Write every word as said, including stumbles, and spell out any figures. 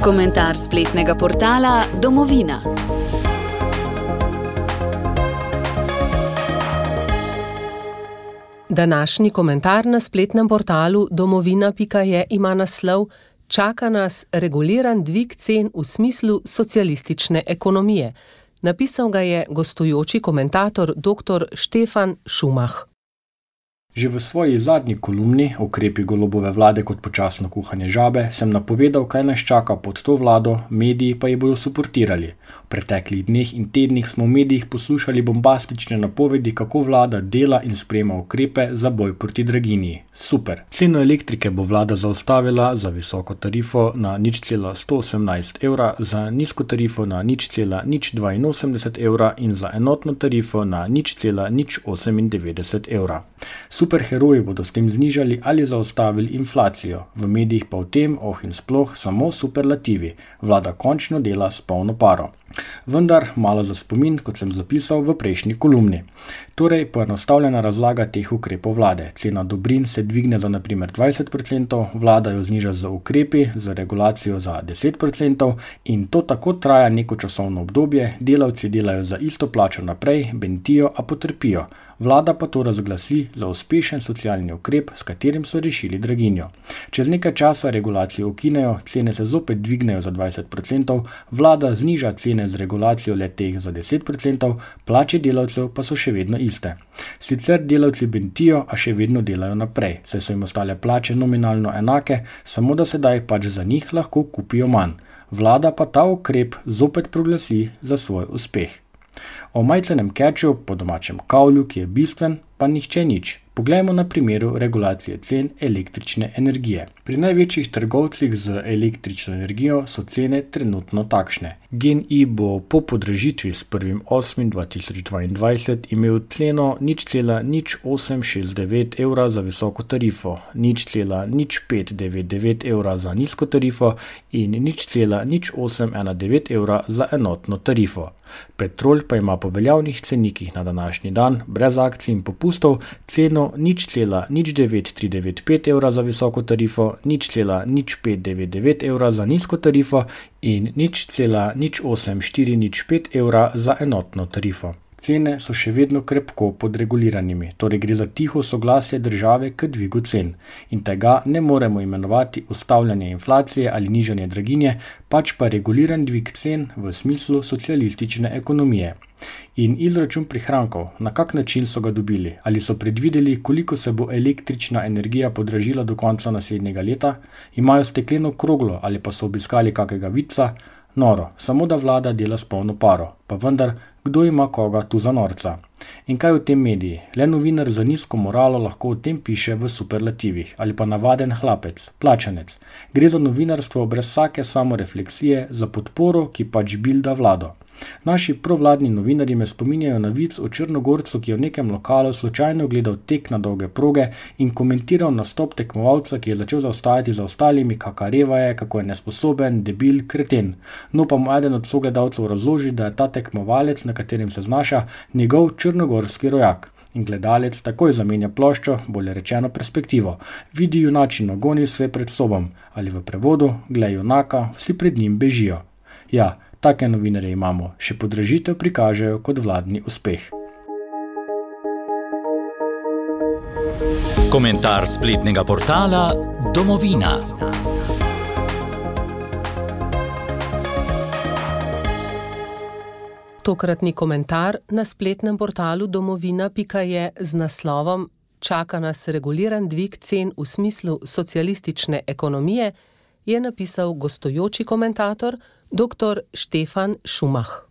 Komentar spletnega portala Domovina. Današnji komentar na spletnem portalu domovina pika je ima naslov Čaka nas reguliran dvig cen v smislu socialistične ekonomije. Napisal ga je gostujoči komentator doktor Štefan Šumah. Že v svoji zadnji kolumni Ukrepi Golobove vlade kot počasno kuhanje žabe sem napovedal, kaj nas čaka pod to vlado, mediji pa ji bodo suportirali. V preteklih dneh in tednih smo v medijih poslušali bombastične napovedi, kako vlada dela in sprejema ukrepe za boj proti draginji. Super! Ceno elektrike bo vlada zaustavila za visoko tarifo na nič cela sto osemnajst evra, za nizko tarifo na nič cela nič dvainosemdeset evra in za enotno tarifo na nič cela nič osemindevetdeset evra. Superheroji bodo s tem znižali ali zaustavili inflacijo, v medijih pa v tem, oh in sploh, samo superlativi. Vlada končno dela s polno paro. Vendar malo za spomin, kot sem zapisal v prejšnji kolumni. Torej, poenostavljena razlaga teh ukrepov vlade. Cena dobrin se dvigne za na primer dvajset procentov, vlada jo zniža z ukrepi, z regulacijo za deset procentov in to tako traja neko časovno obdobje, delavci delajo za isto plačo naprej, bentijo, a potrpijo. Vlada pa to razglasi za uspešen socialni ukrep, s katerim so rešili draginjo. Čez nekaj časa regulacijo ukinejo, cene se zopet dvignejo za dvajset procentov, vlada zniža cene z regulacijo le-teh za deset procentov, plače delavcev pa so še vedno iste. Sicer delavci bentijo, a še vedno delajo naprej, saj so jim ostale plače nominalno enake, samo da sedaj pač za njih lahko kupijo manj. Vlada pa ta ukrep zopet proglasi za svoj uspeh. O majcenem keču, po domačem kavlju, ki je bistven, pa nihče nič. Poglejmo na primeru regulacije cen električne energije. Pri največjih trgovcih z električno energijo so cene trenutno takšne. GEN-I bo po podražitvi s prvim osmim dva tisoč dvaindvajset imel ceno nič cela nič osem šest devet evra za visoko tarifo, nič cela nič pet devet devet evra za nizko tarifo in nič cela nič osem ena devet evra za enotno tarifo. Petrol pa ima po veljavnih cenikih na današnji dan, brez akcij in popustov, ceno nič cela nič devet tri devet pet evra za visoko tarifo, nič cela nič pet devet devet evra za nizko tarifo in nič cela nič osem štiri nič pet evra za enotno tarifo. Cene so še vedno krepko podreguliranimi, torej gre za tiho soglasje države k dvigu cen. In tega ne moremo imenovati ustavljanje inflacije ali nižanje draginje, pač pa reguliran dvig cen v smislu socialistične ekonomije. In izračun prihrankov, na kak način so ga dobili? Ali so predvideli, koliko se bo električna energija podražila do konca naslednjega leta? Imajo stekleno kroglo ali pa so obiskali kakega vidca? Noro, samo da vlada dela s polno paro. Pa vendar, kdo ima koga tu za norca? In kaj v tem mediji? Le novinar za nizko moralo lahko o tem piše v superlativih. Ali pa navaden hlapec, plačanec. Gre za novinarstvo brez vsake samorefleksije, za podporo, ki pač bilda vlado. Naši provladni novinarji me spominjajo na vic o Črnogorcu, ki je v nekem lokalu slučajno gledal tek na dolge proge in komentiral nastop tekmovalca, ki je začel zaostajati za ostalimi, kakareva je, kako je nesposoben, debil, kreten. No pa mu eden od sogledalcev razloži, da je ta tekmovalec, na katerem se znaša, njegov črnogorski rojak. In gledalec takoj zamenja ploščo, bolje rečeno perspektivo. Vidi junačino, goni sve pred sobom. Ali v prevodu, glej junaka, vsi pred njim bežijo. Ja, take novinarje imamo, še podražitev prikažejo kot vladni uspeh. Komentar spletnega portala Domovina. Tokratni komentar na spletnem portalu domovina pika je z naslovom Čaka nas reguliran dvig cen v smislu socialistične ekonomije, je napisal gostujoči komentator doktor Štefan Šumah.